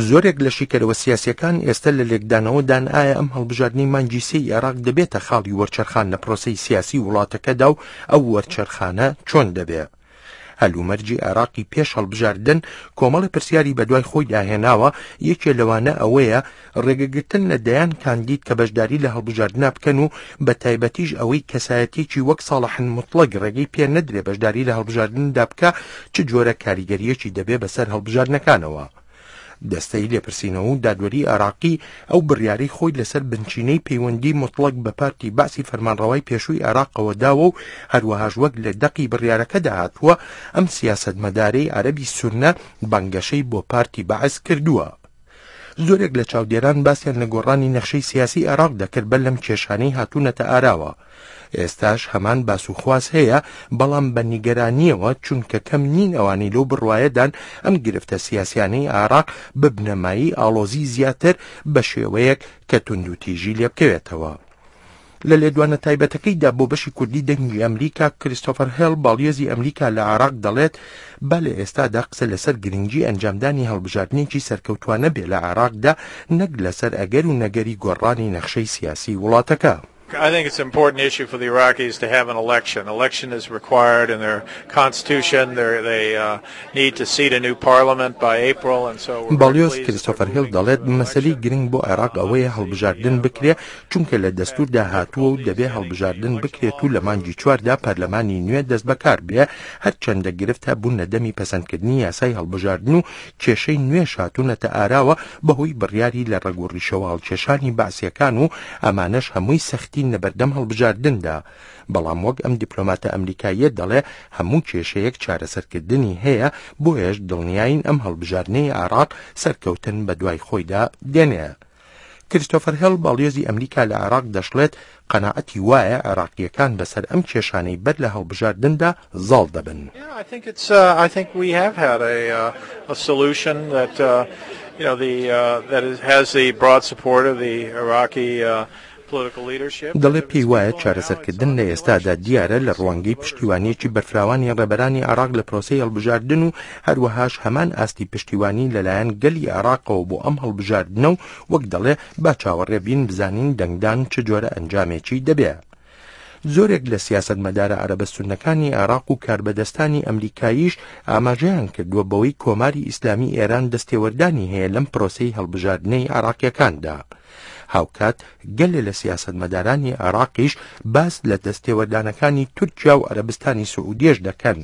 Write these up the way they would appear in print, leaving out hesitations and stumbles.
زۆرێک لە شیکەرەوە سیاسییەکان ئێستە لە لێکدانەوەدان ئایا ئەم هەڵبژاردنەی مانگی سێی عێراق دەبێتە خاڵی وەرچەرخان لە پرۆسەی سیاسی وڵاتەکەدا و ئەو وەرچەرخانە چۆن دەبێ؟ هەلومەرجی عێراقی پێش هەڵبژاردن کۆمەڵی پرسیاری بەدوای خۆیدا هێناوە، یەکێ لەوانە ئەوەیە ڕێگەگرتن لە دەیان کاندید کە بەشداری لە هەڵبژاردنا بکەن و بە تایبەتیش ئەوەی کەسایەتیەکی وەک ساڵح موتڵەگ ڕێگەی پێ نەدرێ بەشداری لە هەڵبژاردندا بکا چ جۆرە کاریگەریەکی دەبێ بەسەر هەڵبژاردنەکانەوە. دەستەی لێپرسینەوە و دادوەری عێراقی ئەو بڕیارەی خۆی لەسەر بنچینەی پەیوەندی موتڵەگ بە پارتی بەعسی فەرمانڕەوای پێشووی عێراقەوە داوە و هەروەهاش وەک لە دەقی بڕیارەکەدا هاتووە ئەم سیاسەتمەدارەی عەرەبی سوننە بانگەشەی بۆ پارتی بەعس کردووە. زۆرێک لە چاودێران باسیان لە گۆڕانی نەخشەی سیاسی عێراق دەکرد بەر لەم کێشانەی هاتوونەتە ئاراوە. ئێستاش هەمان باس و خواس هەیە، بەڵام بە نیگەرانییەوە، چونکە کەم نین ئەوانەی لەو بڕوایەدان ئەم گرفتە سیاسیانەی عێراق ببنە مایەی ئاڵۆزی زیاتر بە شێوەیەک کە توندوتیژی لێبکەوێتەوە. لە لێدوانە تایبەتەکەیدا بۆ بەشی کوردی دەنگی ئەمریکا، کریستۆفەر هێڵ، باڵیۆزی ئەمریکا لە عێراق دەڵێت، با لە ئێستادا قسە لەسەر گرنگی ئەنجامدانی هەڵبژاردنێکی سەرکەوتوانە بێ لە عێراقدا نەک لەسەر ئەگەر و نەگەری گۆڕانی نەخشەی سیاسی وڵاتەکە. I think it's an important issue for the Iraqis to have an election. Election is required in their constitution. They're, they uh, need to seat a new parliament by April and so we're باڵیۆز کریستۆفەر هێڵ دەڵێت مەسەلەی گرنگ بۆ عێراق ئەوەیە هەڵبژاردن بکرێ چونکە لە دەستوردا هاتووە و دەبێ هەڵبژاردن بکرێت و لە مانگی چواردا پەرلەمانی نوێ دەستبەکار بێ هەرچەندە گرفت هەبوون لە دەمی پەسەندکردنی یاسای هەڵبژاردن و کێشەی نوێش هاتوونەتە ئاراوە بەهۆی بڕیاری لە ڕەگ و ڕیشەوە هەڵکێشانی بەعسیەکان و ئەمانەش هەمووی سەختین لەبەردەم هەڵبژاردندا بەڵام وەک ئەم دیپلۆماتە ئەمریکاییە دەڵێ هەموو کێشەیەک چارەسەرکردنی هەیە بۆیەش دڵنیاین ئەم هەڵبژاردنەی عێراق سەرکەوتن بەدوای خۆیدا دێنێ. کریستۆفەر هێڵ باڵیۆزی ئەمریکا لە عێراق دەشڵێت قەناعەتی وایە عێراقییەکان بەسەر ئەم کێشانەی بەر لە هەڵبژاردندا زاڵ دەبن. دەڵێ پێی وایە چارەسەرکردن لە ئێستادا دیارە لە ڕوانگەی پشتیوانییەکی بەرفراوانی ڕێبەرانی عێراق لە پرۆسەی هەڵبژاردن و هەروەهاش هەمان ئاستی پشتیوانی لەلایەن گەلی عێراقەوە بۆ ئەم هەڵبژاردنە و وەک دەڵێ با چاوەڕێ بین بزانین دەنگدان چ جۆرە ئەنجامێکی دەبێ. زۆرێک لە سیاسەتمەدارە عەرەبە سوننەکانی عێراق و کاربەدەستانی ئەمریکاییش ئاماژەیان کردووە بەوەی کۆماری ئیسلامی ئێران دەستێوەردانی هەیە لەم پرۆسەی هەڵبژاردنەی عێراقییەکاندا. هاوکات گەلێ لە سیاسەتمەدارانی عێراقیش باس لە دەستێوەردانەکانی تورکیا و عەرەبستانی سعودیەش دەکەن.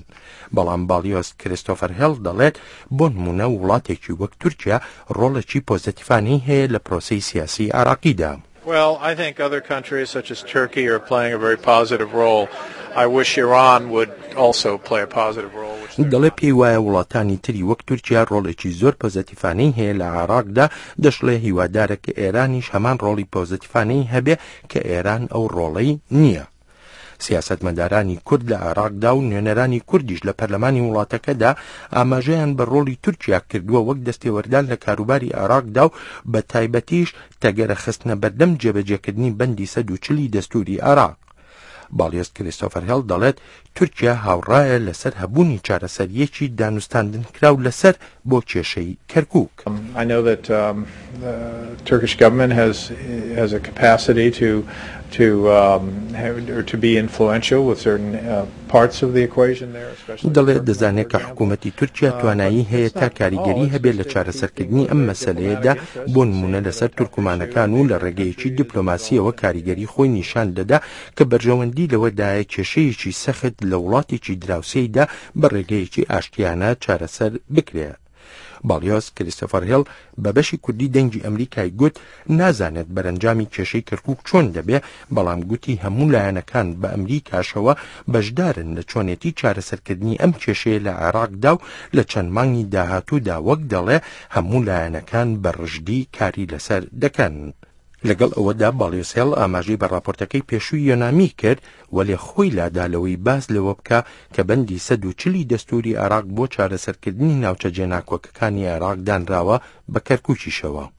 بەڵام باڵیۆز کریستۆفەر هێڵ دەڵێت بۆنمونە وڵاتێکی وەک تورکیا ڕۆڵێکی پۆزەتیفانەی هەیە لە پرۆسەی سیاسی عێراقیدا. Well, I think other countries such as Turkey are playing a very positive role. I wish Iran would also play a positive role. دەڵێ پێی وایە وڵاتانی تری وەک تورکیا ڕۆڵێکی زۆر پۆزەتیفانەی هەیە لە عێراقدا، دەشڵێ هیوادارە کە ئێرانیش هەمان ڕۆڵی پۆزەتیفانەی هەبێ کە ئێران ئەو ڕۆڵەی نییە. سیاسەتمەدارانی کورد لە عێراقدا و نوێنەرانی کوردیش لە پەرلەمانی وڵاتەکەدا ئاماژەیان بە ڕۆڵی تورکیا کردووە وەک دەستێوەردان لە کاروباری عێراقدا و بە تایبەتیش تەگەرە خستنە بەردەم جێبەجێکردنی بەندی 140 ی دەستووری عێراق. باڵیۆز کریستۆفەر هێڵ دەڵێت تورکیا هاوڕایە لەسەر هەبوونی چارەسەرییەکی دانوستاندنکراو لەسەر بۆ کێشەی کەرکوک. I know that the Turkish government has has a capacity to to or to be influential with certain parts of the equation there especially دەڵێت دەزانێت کە حکوومەتی تورکیا توانایی هەیە تا کاریگەری هەبێت لە چارەسەرکردنی ئەم مەسەلەیەدا بۆ نموونە لەسەر تورکمانەکان و لە ڕێگەیەکی دیپلۆماسییەوە کاریگەری خۆی نیشان دەدا کە بەرژەوەندی لەوەدایە کێشەیەکی سەخت لە وڵاتێکی دراوسێیدا بە ڕێگەیەکی ئاشتیانە چارەسەر بکرێ. باڵیۆز کریستۆفەر هێڵ بە بەشی کوردی دەنگی ئەمریکای گوت نازانێت بەرەنجامی کێشەی کەرکوک چۆن دەبێ، بەڵام گوتی هەموو لایەنەکان بە ئەمریکاشەوە بەشدارن لە چۆنێتی چارەسەرکردنی ئەم کێشەیە لە عێراقدا و لە چەند مانگی داهاتوودا وەک دەڵێ هەموو لایەنەکان بە ڕژدی کاری لەسەر دەکەن. لەگەڵ ئەوەدا باڵیۆز هێڵ ئاماژەی بە ڕاپۆرتەکەی پێشووی یۆنامی کرد، وەلێ خۆی لادا لەوەی باس لەوە بکا کە بەندی 140 ی دەستووری عێراق بۆ چارەسەرکردنی ناوچە جێناکۆکەکانی عێراق دانراوە بە کەرکوکیشەوە.